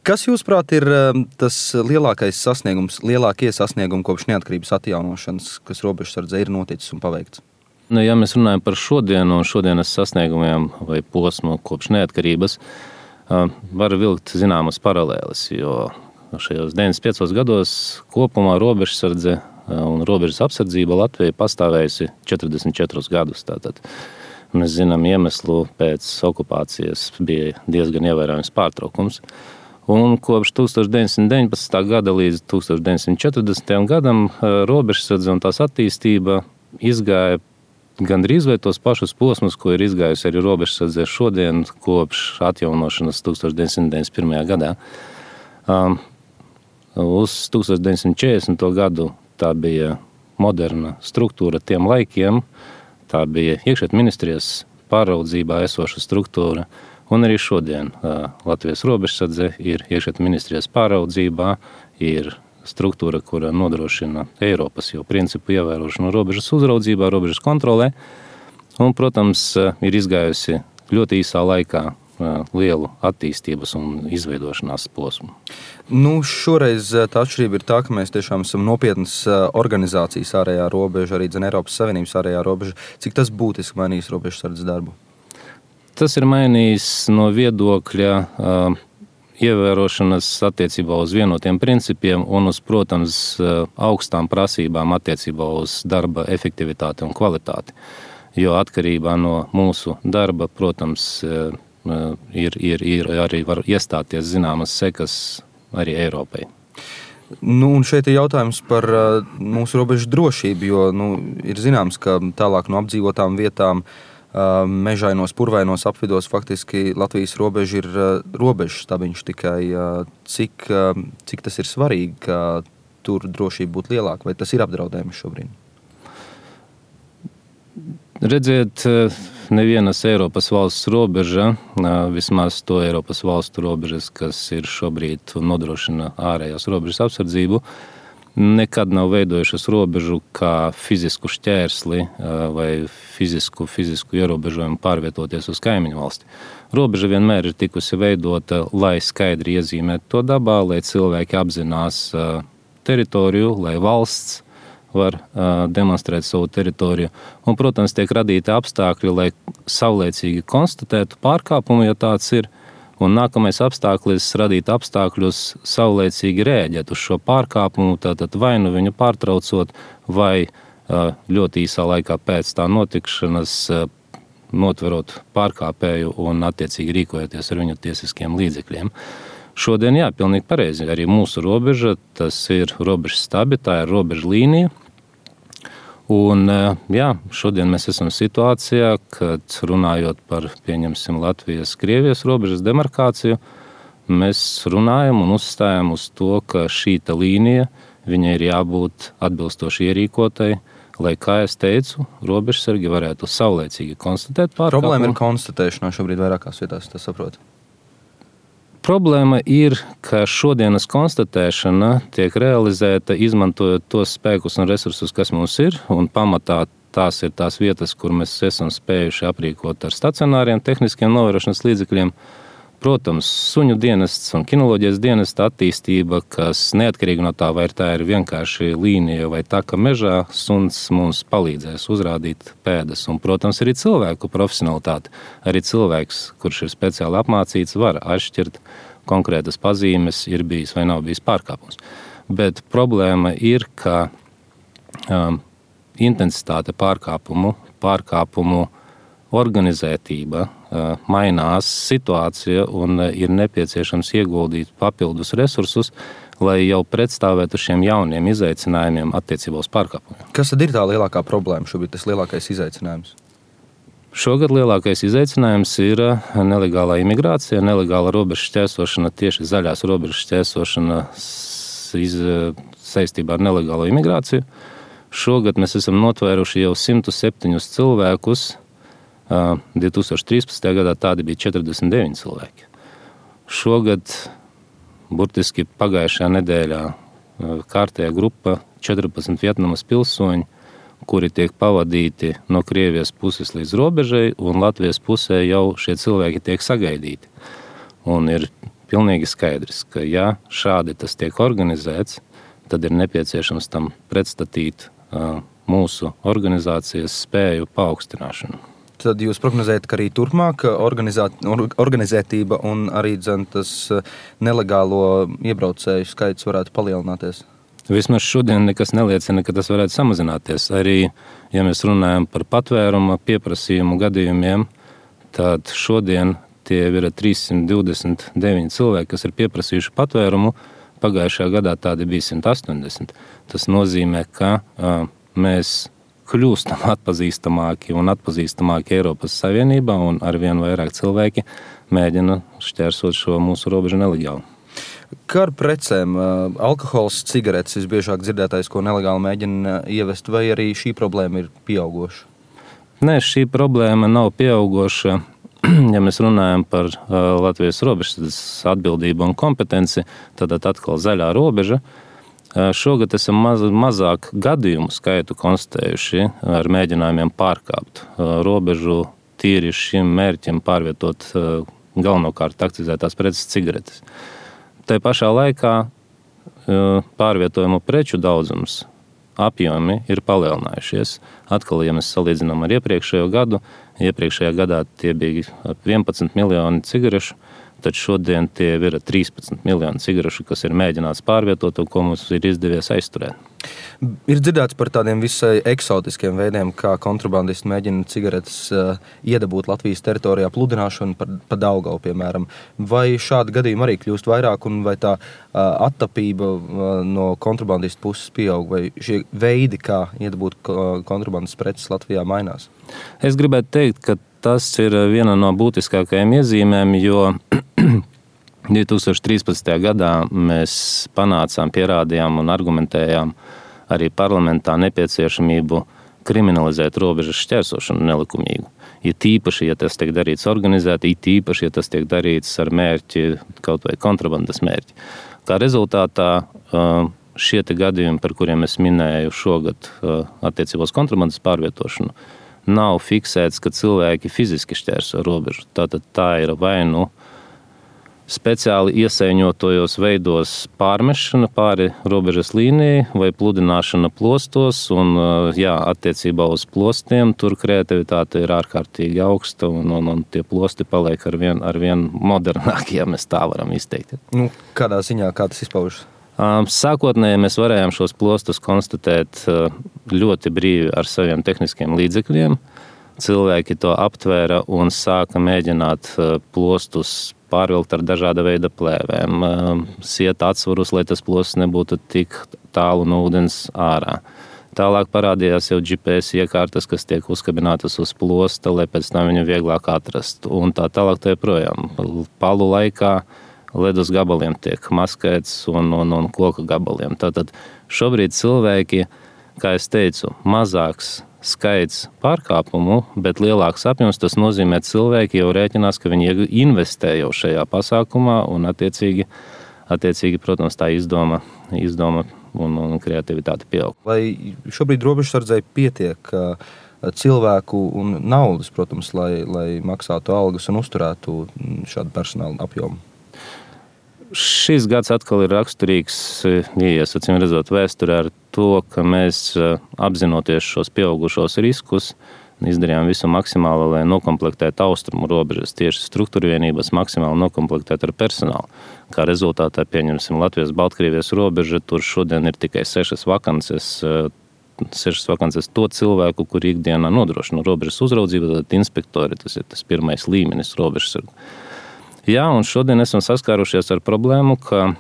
Kas jūsuprāt ir tas lielākie sasniegumi kopš neatkarības atjaunošanas, kas robežsardzē ir noticis un paveikts? Ja mēs runājam par šodienu un šodienas sasniegumiem vai posmu kopš neatkarības, var vilkt zināmas paralēles, jo šajos 95 gados kopumā robežsardze un robežas apsardzība Latvijai pastāvējusi 44 gadus. Tātad mēs zinām iemeslu, pēc okupācijas bija diezgan ievērojams pārtraukums. Un kopš 1919. Gada līdz 1940. gadam robežsardze un tās attīstība izgāja gandrīz vai tos pašus posmus, ko ir izgājusi arī robežsardze šodien kopš atjaunošanas 1991. gadā. Uz 1940. gadu tā bija moderna struktūra tiem laikiem, tā bija iekšļietu ministrijas pāraudzībā esoša struktūra, un arī šodien Latvijas robežsardze ir iekšļietu ministrijas pāraudzībā, ir struktūra, kura nodrošina Eiropas jau principu ievērošanu robežas uzraudzībā, robežas kontrolē, un, protams, ir izgājusi ļoti īsā laikā lielu attīstības un izveidošanās posmu. Šoreiz tā atšķirība ir tā, ka mēs tiešām esam nopietnas organizācijas ārējā robeža, arī Eiropas Savienības ārējā robeža. Cik tas būtiski mainīs robežsardzes darbu? Tas ir mainījis no viedokļa ievērošanas attiecībā uz vienotiem principiem un uz, protams, augstām prasībām attiecībā uz darba efektivitāti un kvalitāti. Jo atkarībā no mūsu darba, protams, ir arī var iestāties zināmas sekas arī Eiropai. Un šeit ir jautājums par mūsu robežu drošību, jo ir zināms, ka tālāk no apdzīvotām vietām mežainos, purvainos apvidos faktiski Latvijas robeža ir robežas stabiņš tikai. Cik tas ir svarīgi, ka tur drošība būtu lielāka, vai tas ir apdraudējums šobrīd? Redziet, nevienas Eiropas valsts robeža, vismaz to Eiropas valstu robežas, kas ir šobrīd un nodrošina ārējās robežas apsardzību, nekad nav veidojušas robežu kā fizisku šķērsli vai fizisku ierobežojumu pārvietoties uz kaimiņu valsti. Robeža vienmēr ir tikusi veidota, lai skaidri iezīmētu to dabā, lai cilvēki apzinās teritoriju, lai valsts var demonstrēt savu teritoriju. Un, protams, tiek radīti apstākļi, lai savlaicīgi konstatētu pārkāpumu, ja tāds ir. Un nākamais apstākļis radīt apstākļus savlaicīgi rēģēt uz šo pārkāpumu, tātad vai nu viņu pārtraucot, vai ļoti īsā laikā pēc tā notikšanas notverot pārkāpēju un attiecīgi rīkojoties ar viņu tiesiskiem līdzekļiem. Šodien, pilnīgi pareizi, arī mūsu robeža, tas ir robežas stabi, tā ir robeža līnija. Un, šodien mēs esam situācijā, kad runājot par, pieņemsim, Latvijas-Krievijas robežas demarkāciju, mēs runājam un uzstājam uz to, ka šīta līnija, viņai ir jābūt atbilstoši ierīkotai, lai, kā es teicu, robežsargi varētu savlaicīgi konstatēt pārkāpumu. Problēma ir konstatēšanā šobrīd vairākās vietās, tas saprot. Problēma ir, ka šodienas konstatēšana tiek realizēta izmantojot tos spēkus un resursus, kas mums ir, un pamatā tās ir tās vietas, kur mēs esam spējuši aprīkot ar stacionāriem tehniskiem novērošanas līdzekļiem. Protams, suņu dienests un kinoloģijas dienesta attīstība, kas neatkarīgi no tā, vai tā ir vienkārši līnija vai taka mežā, suns mums palīdzēs uzrādīt pēdas. Un, protams, arī cilvēku profesionalitāte. Arī cilvēks, kurš ir speciāli apmācīts, var atšķirt konkrētas pazīmes, ir bijis vai nav bijis pārkāpums. Bet problēma ir, ka intensitāte pārkāpumu organizētība mainās situācija un ir nepieciešams ieguldīt papildus resursus, lai jau pretstāvētu šiem jauniem izaicinājumiem attiecībā uz pārkāpumiem. Kas tad ir tā lielākā problēma šobrīd, tas lielākais izaicinājums? Šogad lielākais izaicinājums ir nelegālā imigrācija, nelegāla robežu šķērsošana, tieši zaļās robežu šķērsošana saistībā ar nelegālo imigrāciju. Šogad mēs esam notvēruši jau 107 cilvēkus. 2013. gadā tādi bija 49 cilvēki. Šogad, burtiski pagājušajā nedēļā, kārtējā grupa 14 Vietnamas pilsoņi, kuri tiek pavadīti no Krievijas puses līdz robežai, un Latvijas pusē jau šie cilvēki tiek sagaidīti. Un ir pilnīgi skaidrs, ka ja šādi tas tiek organizēts, tad ir nepieciešams tam pretstatīt mūsu organizācijas spēju paaugstināšanu. Tad jūs prognozējat, ka arī turpmāk organizētība un arī tas nelegālo iebraucēju skaits varētu palielināties? Vismaz šodien nekas neliecina, ka tas varētu samazināties. Arī, ja mēs runājam par patvēruma pieprasījumu gadījumiem, tad šodien tie ir 329 cilvēki, kas ir pieprasījuši patvērumu. Pagājušajā gadā tādi bija 180. Tas nozīmē, ka mēs kļūstam atpazīstamāki un atpazīstamāki Eiropas Savienībā, un arvien vairāk cilvēki mēģina šķērsot šo mūsu robežu nelegāli. Kā ar precēm? Alkohols, cigaretes visbiežāk dzirdētais, ko nelegāli mēģina ievest, vai arī šī problēma ir pieaugoša? Nē, šī problēma nav pieaugoša. Ja mēs runājam par Latvijas robežas atbildību un kompetenci, tad atkal zaļā robeža. Šogad esam mazāk gadījumu skaitu konstatējuši ar mēģinājumiem pārkāpt robežu tīri šim mērķim pārvietot galvenokārt akcizētās preces cigaretes. Tā pašā laikā pārvietojumu preču daudzums apjomi ir palielinājušies. Atkal, ja mēs salīdzinām ar iepriekšējo gadu, iepriekšējā gadā tie bija 11 miljoni cigarešu, tad šodien tie ir 13 miljoni cigarešu, kas ir mēģināts pārvietot un ko mums ir izdevies aizturēt. Ir dzirdēts par tādiem visai eksotiskiem veidiem, kā kontrabandisti mēģina cigaretes iedabūt Latvijas teritorijā, pludināšanu pa Daugavu, piemēram. Vai šādi gadījumi arī kļūst vairāk, un vai tā attapība no kontrabandistu puses pieaug, vai šie veidi, kā iedabūt kontrabandas preces Latvijā, mainās? Es gribētu teikt, ka tas ir viena no būtiskākajām iezīmēm, jo 2013. gadā mēs panācām, pierādījām un argumentējām arī parlamentā nepieciešamību kriminalizēt robežas šķērsošanu nelikumīgu. It īpaši, ja tas tiek darīts organizēti, it īpaši, ja tas tiek darīts ar mērķi, kaut vai kontrabandas mērķi. Kā rezultātā šie te gadījumi, par kuriem es minēju šogad attiecībos kontrabandas pārvietošanu, nav fiksēts, ka cilvēki fiziski šķērso robežu. Tātad tā ir vai nu speciāli iesaiņotojos veidos pārmešana pāri robežas līnijai vai pludināšana plostos, un attiecībā uz plostiem tur kreativitāte ir ārkārtīgi augsta, un tie plosti paliek arvien modernāki, ja mēs tā varam izteikt. Kādā ziņā, kā tas izpaužas? Sākotnēji mēs varējām šos plostus konstatēt ļoti brīvi ar saviem tehniskiem līdzekļiem. Cilvēki to aptvēra un sāka mēģināt plostus pārvilkt ar dažāda veida plēvēm, siet atsvarus, lai tas plosts nebūtu tik tālu no ūdens ārā. Tālāk parādījās jau GPS iekārtas, kas tiek uzkabinātas uz plosta, lai pēc tam viņu vieglāk atrast. Un tā tālāk tā joprojām. Palu laikā ledus gabaliem tiek maskēts un koka gabaliem. Tātad šobrīd cilvēki, kā es teicu, mazāks skaits pārkāpumu, bet lielāks apjoms, tas nozīmē, cilvēki jau rēķinās, ka viņi investē jau šajā pasākumā un attiecīgi, protams, tā izdoma un kreativitāte pieaug. Vai šobrīd robežsardzei pietiek cilvēku un naudas, protams, lai maksātu algas un uzturētu šādu personālu apjomu? Šis gads atkal ir raksturīgs, acīm redzot, vēsturē ar to, ka mēs apzinoties šos pieaugušos riskus, izdarījām visu maksimālo, lai nokomplektētu austrumu robežas, tieši struktūrvienības maksimāli nokomplektēt ar personālu. Kā rezultātā pieņemsim Latvijas-Baltkrievijas robeža, tur šodien ir tikai 6 vakances to cilvēku, kuri ikdienā nodrošina robežas uzraudzību, tad inspektori, tas ir tas pirmais līmenis robežsargu. Jā, un šodien esam saskārušies ar problēmu, ka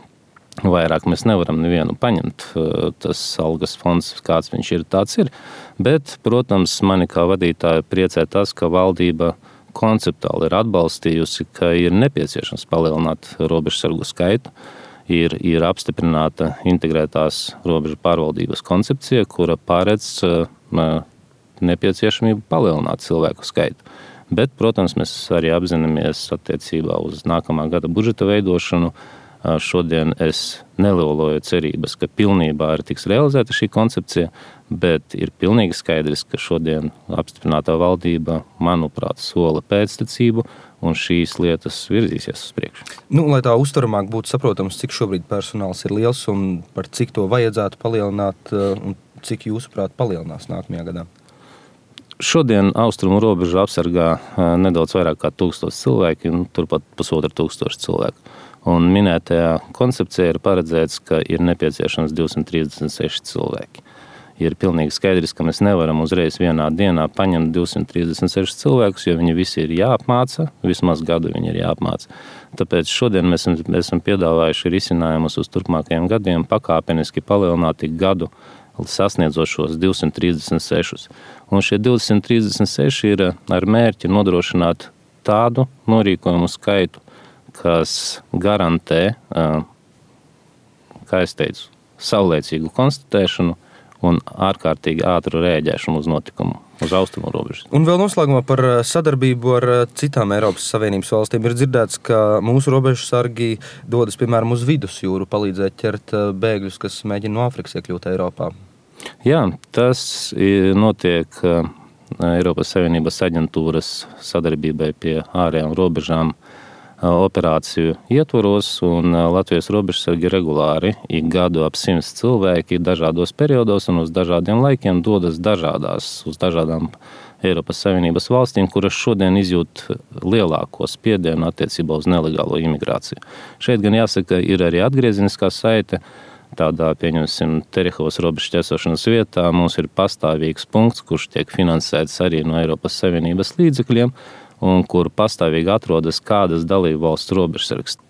vairāk mēs nevaram nevienu paņemt. Tas algas fonds, kāds viņš ir, tāds ir. Bet, protams, mani kā vadītāju priecē tas, ka valdība konceptuāli ir atbalstījusi, ka ir nepieciešams palielināt robežsargu skaitu. Ir apstiprināta integrētās robežu pārvaldības koncepcija, kura paredz nepieciešamību palielināt cilvēku skaitu. Bet, protams, mēs arī apzināmies attiecībā uz nākamā gada budžeta veidošanu, Šodien es neloloju cerības, ka pilnībā ir tiks realizēta šī koncepcija, bet ir pilnīgi skaidrs, ka šodien apstiprinātā valdība, manuprāt, sola pēctecību, un šīs lietas virzīsies uz priekšu. Lai tā uztveramāk būtu saprotams, cik šobrīd personāls ir liels un par cik to vajadzētu palielināt, un cik jūsuprāt palielinās nākamajā gadā? Šodien austrumu robežu apsargā nedaudz vairāk kā 1000 cilvēki, un turpat 1500 cilvēku. Un minētajā koncepcijā ir paredzēts, ka ir nepieciešams 236 cilvēki. Ir pilnīgi skaidrs, ka mēs nevaram uzreiz vienā dienā paņemt 236 cilvēkus, jo viņi visi ir jāapmāca, vismaz gadu viņi ir jāapmāca. Tāpēc šodien mēs esam piedāvājuši risinājumus uz turpmākajiem gadiem pakāpeniski palielināt ik gadu sasniedzot šos 236. Un šie 236 ir ar mērķi nodrošināt tādu norīkojumu skaitu, kas garantē, kā es teicu, saulēcīgu konstatēšanu un ārkārtīgi ātru rēģēšanu uz notikumu uz austrumu robežas. Un vēl noslēgumā par sadarbību ar citām Eiropas Savienības valstīm. Ir dzirdēts, ka mūsu robežsargi dodas, piemēram, uz vidusjūru, palīdzēt ķert bēgļus, kas mēģina no Āfrikas iekļūt Eiropā. Jā, tas notiek Eiropas Savienības aģentūras sadarbībai pie ārējām robežām operāciju ietvaros, un Latvijas robežsargi regulāri ik gadu ap 100 cilvēki dažādos periodos un uz dažādiem laikiem dodas uz dažādām Eiropas Savienības valstīm, kuras šodien izjūt lielāko spiedienu attiecībā uz nelegālo imigrāciju. Šeit gan jāsaka, ir arī atgriezeniskā saite. Tādā, pieņemsim, Terehovas robežu ķersošanas vietā mums ir pastāvīgs punkts, kurš tiek finansēts arī no Eiropas Savienības līdzekļiem, un kur pastāvīgi atrodas kādas dalību valsts robežsargs.